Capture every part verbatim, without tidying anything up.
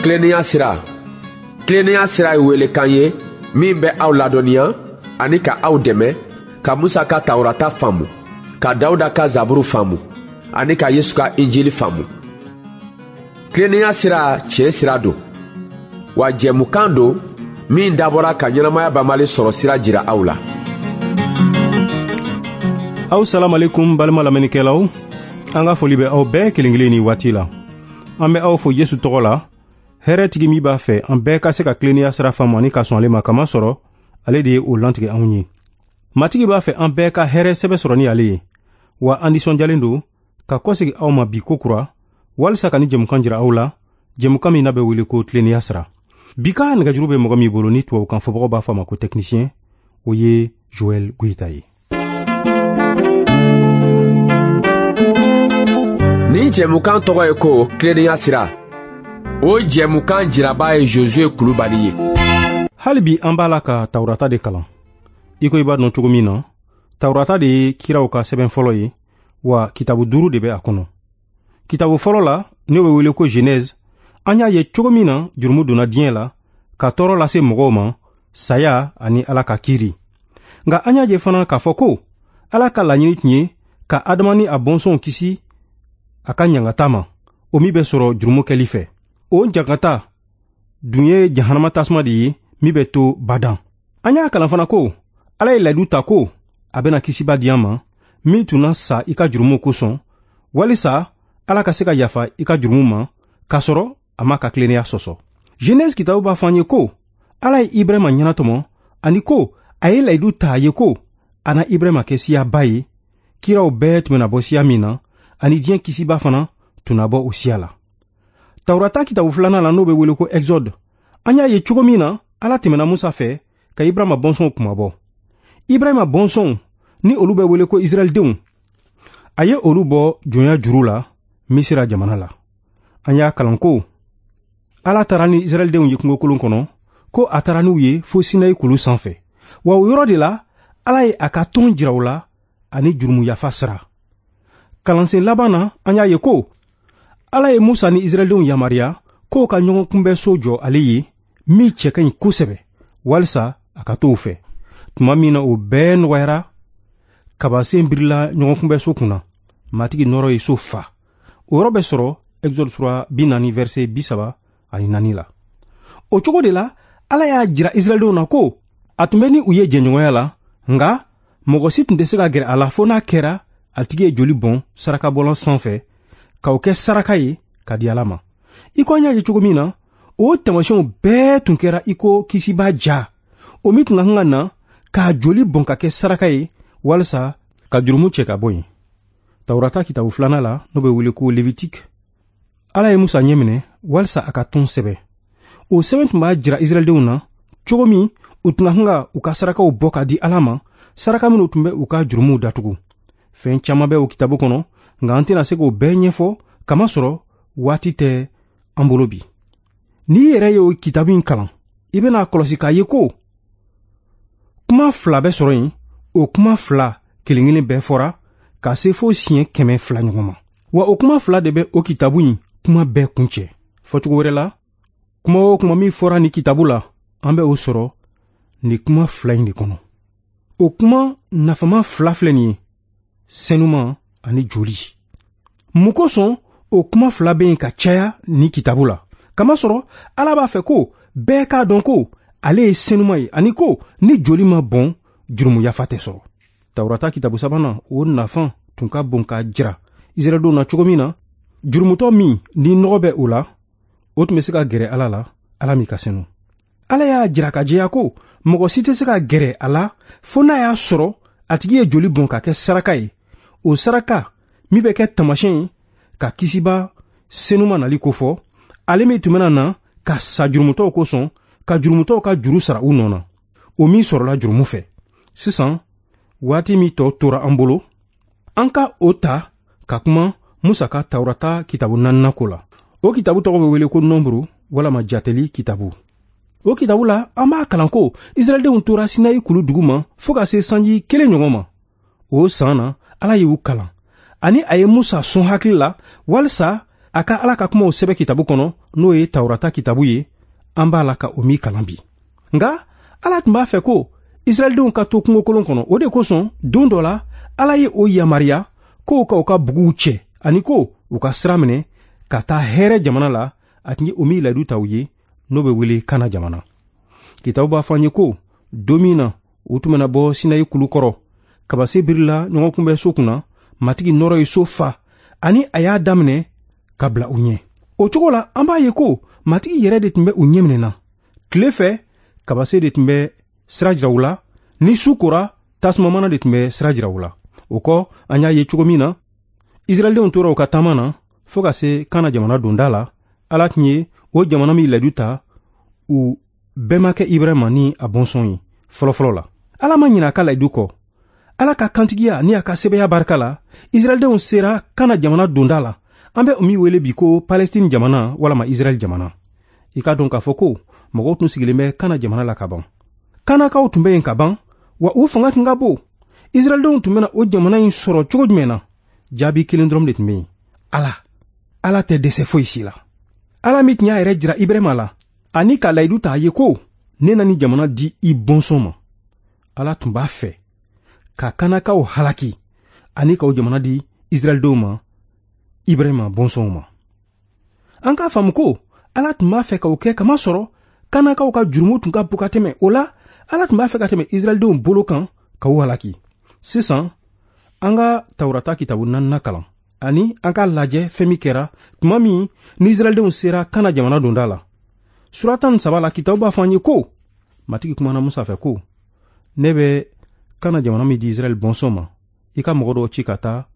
Tilennenya sira. Tilennenya sira ye welekan ye min bɛ aw ladɔnniya ani ka aw dɛmɛ ka Musa ka Tawurata faamu, ka Dawuda ka Zaburu faamu ani ka Yesu ka Injili faamu. Tilennenya sira tiɲɛ sira don, wa jɛmukan don min dabɔra ka ɲɛnamaya banbali sɔrɔ sira jira aw la. Aw salamalekum balima lamɛnnikɛlaw, an ka foli bɛ aw bɛɛ kelen kelen ni waati la. An bɛ aw fo Yesu tɔgɔ la, hɛrɛ tigi min b'a fɛ an bɛɛ ka se ka tilennenya sira faamu ani ka sɔn ale ma, kamasɔrɔ ale de ye o lantigɛ anw ye. Matigi b'a fɛ an bɛɛ ka hɛrɛ sɛbɛ sɔrɔ ni ale ye, wa an nisɔndiyalen don ka kɔsegi aw ma bi kokura walisa ka ni jɛmukan jira aw la, jɛmukan min n'a bɛ wele ko tilennenya sira. Bi ka nɛgɛjuru bɛ mɔgɔ min bolo ni tubabukan fɔbagaw b'a fɔ a ma ko technicien, o ye Joël Goïta ye. Nin jɛmukan tɔgɔ ye ko tilennenya sira. O jɛmukan jiraba ye Josué Kulubali ye. Hali bi an b'a la ka Tawurata de kalan. I ko i b'a dɔn cogo min na, Tawurata de ye kiraw ka sɛbɛn fɔlɔ ye, wa kitabu duuru de bɛ a kɔnɔ. Kitabu fɔlɔ la, n'o bɛ wele ko Genèse, an y'a ye cogo min na jurumu donna diɲɛ la ka tɔɔrɔ lase mɔgɔw ma, saya ani Ala ka kiiri. Nka an y'a ye fana k'a fɔ ko Ala ka laɲini tun ye ka Adama ni a bɔnsɔnw kisi a ka ɲangata ma, o min bɛ sɔrɔ jurumu kɛli fɛ. O ɲangata dun ye jahanama tasuma de ye min bɛ to badan. An y'a kalan fana ko Ala ye layidu ta ko a bɛna kisiba di an ma min tun na sa i ka jurumu kosɔn, walisa Ala ka se ka yafa i ka jurumu ma k'a sɔrɔ a ma ka tilennenya sɔsɔ. Genèse kitabu b'a fɔ an ye ko Ala ye Ibrahima ɲɛnatɔmɔ ani ko a ye layidu ta a ye ko a na Ibrahima kɛ siyaba ye, kiraw bɛɛ tun bɛna bɔ siya min na, ani diɲɛ kisiba fana tun na bɔ o siya la. Tawurata kitabu filanan la, n'o bɛ wele ko Exode, an y'a ye cogo min na Ala tɛmɛna Musa fɛ ka Ibrahima bɔnsɔnw kunmabɔ. Ibrahima bɔnsɔnw ni olu bɛ wele ko Israɛldenw, a ye olu bɔ jɔnya juru la Misira jamana la. An y'a kalan ko Ala taara ni Israɛldenw ye kungokolon kɔnɔ, ko a taara n'u ye fo Sinayi kulu sanfɛ. Wa o yɔrɔ de la, Ala ye a ka tɔn jira u la ani jurumu yafa sira. Kalansen laban na, an y'a ye ko Ala ye Musa ni Israɛldenw yamaruya k'o ka ɲɔgɔn kunbɛnso jɔ ale ye min cɛ ka ɲi kosɛbɛ, walisa a ka t'o fɛ. Tuma min na o bɛɛ nɔgɔyara, kabasen birila ɲɔgɔn kunbɛnso kunna, Matigi nɔrɔ ye so fa. O yɔrɔ bɛ sɔrɔ Exode sura bi naani verset bi saba ani naani la. O cogo de la, Ala y'a jira Israɛldenw na ko a tun bɛ ni u ye jɛɲɔgɔnya la, nka mɔgɔ si tun tɛ se ka gɛrɛ a la fo n'a kɛra a tigi ye joli bɔn sarakabɔlan sanfɛ k'o kɛ saraka ye ka di Ala ma. I ko an y'a ye cogo min na, o taamasiyɛnw bɛɛ tun kɛra i ko kisiba ja, o min tun ka kan ka na k'a joli bɔn ka kɛ saraka ye walisa ka jurumu cɛ ka bɔ yen. Tawurata kitabu filanan la, n'o bɛ wele ko Lévitique, Ala ye Musa ɲɛminɛ walisa a ka tɔn sɛbɛn. O sɛbɛn tun b'a jira Israɛldenw na cogo min u tun ka kan ka u ka sarakaw bɔ ka di Ala ma, saraka minnu tun bɛ u ka jurumuw datugu. Fɛn caman bɛ o kitabu kɔnɔ, nka an tɛna se k'o bɛɛ ɲɛfɔ kamasɔrɔ waati tɛ an bolo bi. N'i yɛrɛ ye o kitabu in kalan, i bɛna kɔlɔsi k'a ye ko kuma fila bɛ sɔrɔ yen, o kuma fila kelen kelen bɛɛ fɔra ka se fo siɲɛ kɛmɛ fila ɲɔgɔn ma. Wa o kuma fila de bɛ o kitabu in kuma bɛɛ kuncɛ. Fɔcogo wɛrɛ la, kuma o kuma min fɔra nin kitabu la, an bɛ o sɔrɔ nin kuma fila in de kɔnɔ. O kuma nafama fila filɛ nin ye, senuman ani joli. Mun kosɔn o kuma fila bɛ yen ka caya nin kitabu la? Kamasɔrɔ Ala b'a fɛ ko bɛɛ k'a dɔn ko ale ye senuman ye, ani ko ni joli ma bɔn, jurumu yafa tɛ sɔrɔ. Tawurata kitabu sabanan, o nafa tun ka bon k'a jira Israɛldenw na cogo min na, jurumutɔ min ni nɔgɔ bɛ o la, o tun bɛ se ka gɛrɛ Ala la, Ala min ka senu. Ala y'a jira ka jɛya ko mɔgɔ si tɛ se ka gɛrɛ a la fo n'a y'a sɔrɔ a tigi ye joli bɔn ka kɛ saraka ye. O saraka min bɛ kɛ taamasiyɛn ye ka kisiba senuma nali kofɔ, ale min tun bɛna na ka sa jurumutɔw kosɔn, ka jurumutɔw ka juru sara u nɔ na, o min sɔrɔla jurumu fɛ. Sisan, waati min tɔ tora an bolo, an ka o ta ka kuma Musa ka Tawurata kitabu naaninan ko la. O kitabu tɔgɔ bɛ wele ko Nɔnburu walama Jateli kitabu. O kitabu la, an b'a kalan ko Israɛldenw tora Sinayi kulu dugu ma fo ka se sanji kelen ɲɔgɔn ma. O san na, Ala y'u kalan ani a ye Musa sɔn hakili la walisa a ka Ala ka kumaw sɛbɛn kitabu kɔnɔ, n'o ye Tawurata kitabu ye, an b'a la ka o min kalan bi. Nka Ala tun b'a fɛ ko Israɛldenw ka to kungokolon kɔnɔ. O de kosɔn don dɔ la Ala ye o yamaruya k'o ka u ka buguw cɛ ani ko u ka sira minɛ ka taa hɛrɛ jamana la, a tun ye o min layidu ta u ye, n'o bɛ wele Kana jamana. Kitabu b'a fɔ an ye ko don min na u tun bɛna bɔ Sinayi kulu kɔrɔ, kabase birila ɲɔgɔn kunbɛn so kunna, Matigi nɔrɔ ye so fa ani a y'a daminɛ ka bila u ɲɛ. O cogo la an b'a ye ko Matigi yɛrɛ de tun bɛ u ɲɛminɛ na. Tile fɛ kabase de tun bɛ sira jira u la, ni su kora tasumamana de tun bɛ sira jira u la. O kɔ an y'a ye cogo min na Israɛldenw tora u ka taama na fo ka se Kana jamana donda la. Ala tun ye o jamana min layidu ta u bɛnbakɛ Ibrahima ni a bɔnsɔn ye fɔlɔfɔlɔ la. Ala ma ɲinɛ a ka layidu kɔ. Ala ka kantigiya ni a ka sɛbɛya barika la, Israɛldenw sera Kana jamana donda la. An bɛ o min wele bi ko Palestine jamana walama Israɛl jamana. I k'a dɔn k'a fɔ ko mɔgɔw tun sigilen bɛ Kana jamana la ka ban. Kanakaw tun bɛ yen ka ban, wa u fanga tun ka bon. Israɛldenw tun bɛna o jamana in sɔrɔ cogo jumɛn na? Jaabi kelen dɔrɔn de tun bɛ yen: Ala. Ala tɛ dɛsɛ foyi si la. Ala min tun y'a yɛrɛ jira Ibrahima la ani ka layidu ta a ye ko ne na nin jamana di i bɔnsɔn ma. Ala tun b'a fɛ ka Kanakaw halaki ani k'o jamana di Israɛldenw ma, Ibrahima bɔnsɔnw ma. An k'a faamu ko Ala tun b'a fɛ k'o kɛ kamasɔrɔ Kanakaw ka jurumu tun ka bon ka tɛmɛ. O la Ala tun b'a fɛ ka tɛmɛ Israɛldenw bolo kan ka u halaki. Sisan an ka Tawurata kitabu naaninan kalan ani an k'a lajɛ fɛn min kɛra tuma min ni Israɛldenw sera Kana jamana donda la. Sura tan ni saba la, kitabu b'a fɔ an ye ko Matigi kumana Musa fɛ ko ne bɛ Kana jamana min di Israɛl bɔnsɔn ma, i ka mɔgɔ dɔw ci ka taa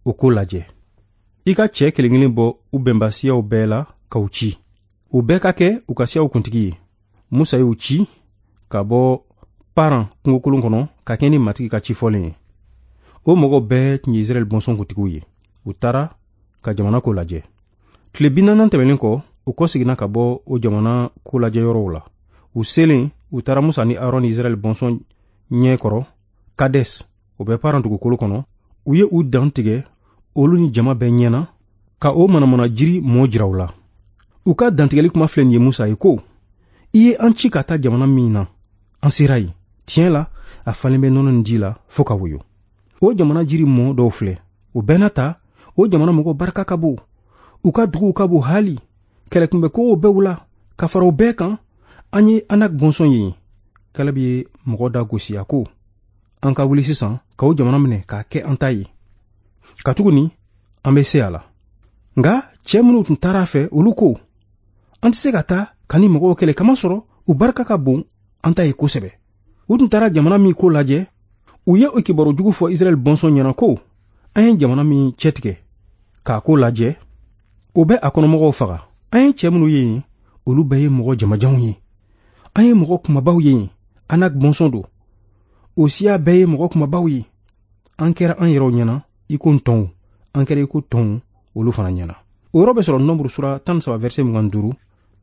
o ko lajɛ. I ka cɛ kelen kelen bɔ u bɛnbasiyaw bɛɛ la k'u ci. U bɛɛ ka kɛ u ka siyaw kuntigi ye. Musa y'u ci ka bɔ Paran kungokolon kɔnɔ ka kɛ ni Matigi ka ci fɔlen ye. O mɔgɔw bɛɛ tun ye Israɛl bɔnsɔn kuntigiw ye. U taara ka jamana ko lajɛ. Tile bi naani tɛmɛnen kɔ, u kɔseginna ka bɔ o jamana ko lajɛ yɔrɔw la. U selen, u taara Musa ni Aron ni Israɛl bɔnsɔn ɲɛ kɔrɔ Kades, o bɛ Paran dugukolo kɔnɔ. U ye u dan tigɛ olu ni jama bɛɛ ɲɛna ka o manamana jiri mɔ jira u la. U ka dantigɛli kuma filɛ nin ye Musa ye ko i ye an ci ka taa jamana min na, an sera yen. Tiɲɛ la, a falen bɛ nɔnɔ ni ji la fo ka woyo. O jamana jiri mɔ dɔw filɛ. O bɛɛ n'a ta, o jamana mɔgɔw barika ka bon. U ka duguw ka bon hali. Kɛlɛkunbɛkow bɛɛ u la. Ka fara o bɛɛ kan, an ye Anak bɔnsɔn ye. Kaleb ye mɔgɔ da gosi a ko an ka wuli sisan ka o jamana minɛ k'a kɛ an ta ye, katuguni an bɛ se a la. Nka cɛ minnu tun taara a fɛ, olu ko an tɛ se ka taa ka ni mɔgɔw kɛlɛ, kamasɔrɔ u barika ka bon an ta ye kosɛbɛ. U tun taara jamana min ko lajɛ, u ye o kibaru jugu fɔ Israɛl bɔnsɔn ɲɛna ko an ye jamana min cɛtigɛ k'a ko lajɛ, o bɛ a kɔnɔmɔgɔw faga. An ye cɛ minnu ye yen, olu bɛɛ ye mɔgɔ jamajanw ye. An ye mɔgɔ kumabaw ye yen, Anak bɔnsɔn don. O siya bɛɛ ye mɔgɔ kumabaw ye. An kɛra an yɛrɛw ɲɛna i ko ntɔnw, an kɛra i ko tɔnw olu fana ɲɛna. O yɔrɔ bɛ sɔrɔ Nombre sura tan ni saba verset mugan duuru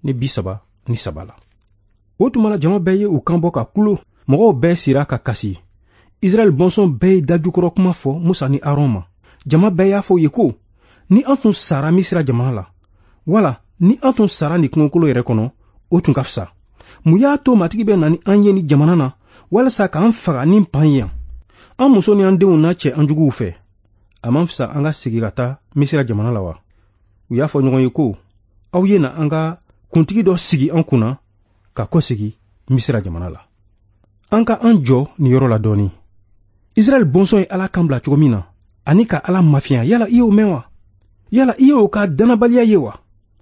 ni bi saba ni saba la. O tuma la jama bɛɛ ye u kan bɔ ka kulo. Mɔgɔw bɛɛ sira ka kasi. Israɛl bɔnsɔn bɛɛ ye dajukɔrɔ kuma fɔ Musa ni Aron ma. Jama bɛɛ y'a fɔ u ye ko ni an tun sara Misira jamana la, wala ni an tun sara nin kungokolo yɛrɛ kɔnɔ, o tun ka fisa. Mun y'a to Matigi bɛ na ni an ye ni jamana na walasa k'an faga ni pan ye yan? An muso ni an denw n'a cɛ an juguw fɛ. A man fisa an ka segin ka taa Misira jamana la wa? U y'a fɔ ɲɔgɔn ye ko aw ye na an ka kuntigi dɔ sigi an kunna ka kɔsegin Misira jamana la. An ka an jɔ nin yɔrɔ la dɔɔni. Israɛl bɔnsɔn ye Ala kan bila cogo min na ani ka Ala mafiya, yala i y'o mɛn wa? Yala i y'o ka dannabaliya ye wa?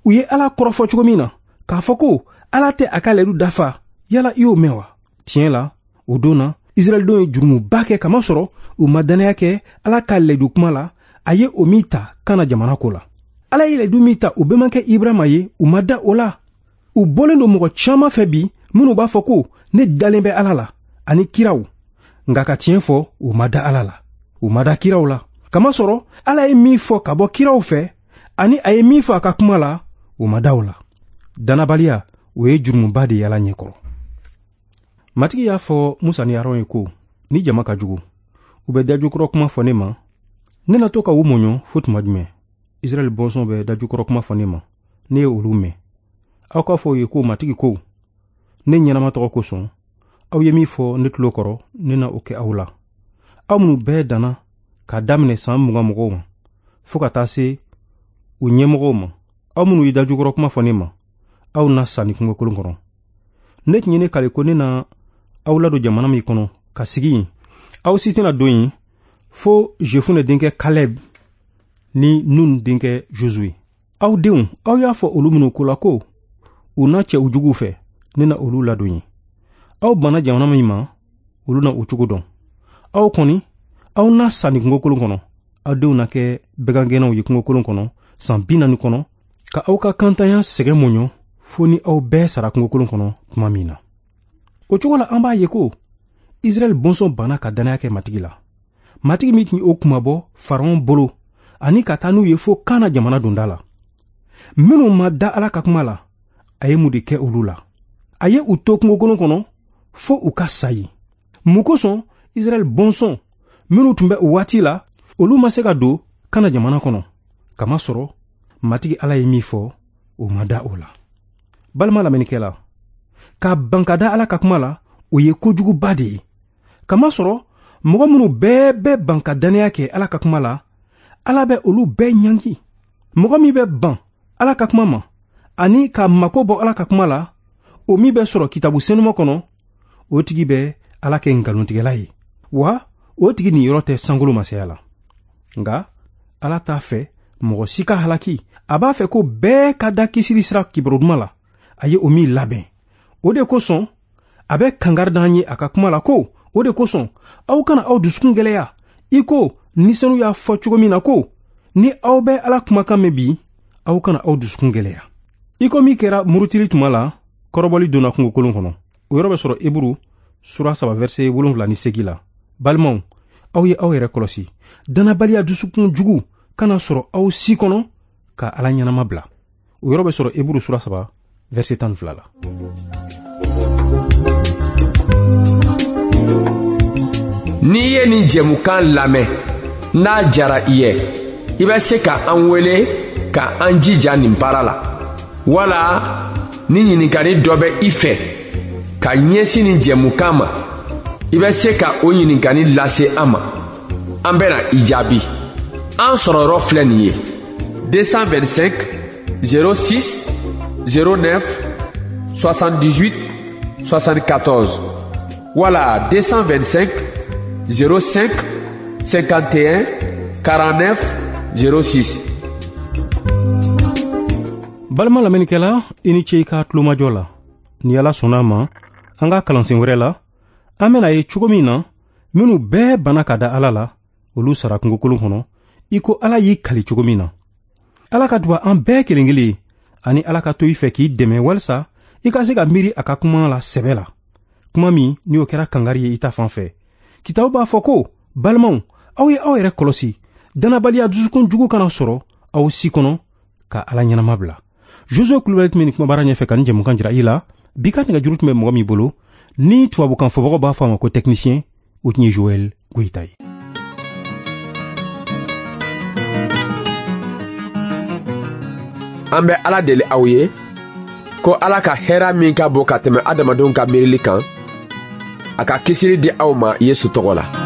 U ye Ala kɔrɔfɔ cogo min na k'a fɔ ko Ala tɛ a ka layidu dafa, yala i y'o mɛn wa? Tiɲɛ la, o don na Israɛldenw ye jurumuba kɛ, kamasɔrɔ u ma dannaya kɛ Ala ka layidu kuma la, a ye o min ta Kana jamana ko la. Ala ye layidu min ta u bɛnbakɛ Ibrahima ye, u ma da o la. U bɔlen don mɔgɔ caman fɛ bi minnu b'a fɔ ko ne dalen bɛ Ala la ani kiraw, nka ka tiɲɛ fɔ, u ma da Ala la, u ma da kiraw la. Kamasɔrɔ Ala ye min fɔ ka bɔ kiraw fɛ ani a ye min fɔ a ka kuma la, u ma da o la. Dannabaliya, o ye jurumuba de ye Ala ɲɛkɔrɔ. Matigi y'a fɔ Musa ni Aron ye ko ni jama ka jugu, u bɛ dajukɔrɔ kuma fɔ ne ma, ne na to ka u mɔɲɔ fo tuma jumɛn? Israɛl bɔnsɔn bɛ dajukɔrɔ kuma fɔ ne ma, ne ye olu mɛn. Aw k'a fɔ u ye ko Matigi ko, ne ɲɛnama tɔgɔ kosɔn, aw ye min fɔ ne tulo kɔrɔ, ne na o kɛ aw la. Aw minnu bɛɛ danna k'a daminɛ san mugan mɔgɔw ma, fo ka taa se u ɲɛmɔgɔw ma, aw minnu ye dajukɔrɔ kuma fɔ ne ma, aw na sa ni kungokolon kɔnɔ. Ne tun ye ne kale ko ne na aw ladon jamana min kɔnɔ ka sigi yen, aw si tɛna don yen fo Jefune denkɛ Kalɛb ni Nun denkɛ Josue. Aw denw, aw y'a fɔ olu minnu ko la ko u na cɛ u juguw fɛ, ne na olu ladon yen. Aw banna jamana min ma, olu na o cogo dɔn. Aw kɔni, aw na sa nin kungokolon kɔnɔ. Aw denw na kɛ bagangɛnnaw ye kungokolon kɔnɔ san bi naani kɔnɔ, ka aw ka kantanya sɛgɛn mɔɲɔ fo ni aw bɛɛ sara kungokolon kɔnɔ tuma min na. O cogo la, an b'a ye ko Israɛl bɔnsɔn banna ka dannaya kɛ Matigi la. Matigi min tun ye o kunmabɔ Faraon bolo ani ka taa n'u ye fo Kana jamana donda la. Minnu ma da Ala ka kuma la, a ye mun de kɛ olu la? A ye u to kungokolon kɔnɔ fo u ka sa yen. Mun kosɔn Israɛl bɔnsɔn minnu tun bɛ o waati la, olu ma se ka don Kana jamana kɔnɔ? Kamasɔrɔ Matigi Ala ye min fɔ, o ma da o la. Balima lamɛnnikɛla, ka ban ka da Ala ka kuma la, o ye kojuguba de ye. Kamasɔrɔ mɔgɔ minnu bɛɛ bɛ ban ka dannaya kɛ Ala ka kuma la, Ala bɛ olu bɛɛ ɲangi. Mɔgɔ min bɛ ban Ala ka kuma ma ani ka mako bɔ Ala ka kuma la, o min bɛ sɔrɔ kitabu senuma kɔnɔ, o tigi bɛ Ala kɛ nkalontigɛla ye, wa o tigi niyɔrɔ tɛ sankolo masaya la. Nka Ala t'a fɛ mɔgɔ si ka halaki. A b'a fɛ ko bɛɛ ka da kisili sira kibaru duman la, a ye o min labɛn. O de kosɔn a bɛ kangari d'an ye a ka kuma la ko, o de kosɔn aw kana aw dusukun gɛlɛya, i ko ni senu y'a fɔ cogo min na ko, ni aw bɛ Ala kumakan mɛn bi, aw kana aw dusukun gɛlɛya. I ko min kɛra murutili tuma la, kɔrɔbɔli donna kungokolon kɔnɔ. O yɔrɔ bɛ sɔrɔ Eburu sura saba verset wolonwula ni seegin la. Balimaw, aw ye aw yɛrɛ kɔlɔsi, dannabaliya dusukun jugu kana sɔrɔ aw si kɔnɔ ka Ala ɲɛnama bila. O yɔrɔ bɛ sɔrɔ Eburu sura saba verset tan ni fila la. N'i ye nin jɛmukan lamɛn, n'a jara i ye, i bɛ se ka an wele ka an jija nin baara la. Wala ni ɲininkali dɔ bɛ i fɛ ka ɲɛsin nin jɛmukan ma, i bɛ se ka o ɲininkali lase an ma. An bɛna i jaabi. An sɔrɔyɔrɔ filɛ nin ye: deux cent vingt-cinq zéro six zéro neuf soixante-dix-huit soixante-quatorze wala deux cent vingt-cinq zéro cinq cinquante et un quarante-neuf zéro six. Balima lamɛnnikɛla, i ni ce i ka tulomajɔ la. Ni Ala sɔnna a ma, an ka kalansen wɛrɛ la, an bɛna ye cogo min na minnu bɛɛ banna ka da Ala la, olu sara kungokolon kɔnɔ, i ko Ala y'i kali cogo min na. Ala ka duba an bɛɛ kelen kelen ye, ani Ala ka to i fɛ k'i dɛmɛ walisa i ka se ka miiri a ka kuma la sɛbɛ la. Kuma min ni o kɛra kangari ye i ta fan fɛ. Kitabu b'a fɔ ko, balimaw, aw ye aw yɛrɛ kɔlɔsi, dannabaliya dusukun jugu kana sɔrɔ aw si kɔnɔ ka Ala ɲɛnama bila. Josue Kulubali tun bɛ nin kumabara ɲɛfɛ ka nin jɛmukan jira i la. Bi ka nɛgɛjuru tun bɛ mɔgɔ min bolo, ni tubabukan fɔbagaw b'a fɔ a ma ko technicien, o tun ye Joël Goyita ye. An bɛ Ala deli aw ye ko Ala ka hɛrɛ min ka bon ka tɛmɛ adamadenw ka miirili kan, a ka kisili di aw ma Yesu tɔgɔ la.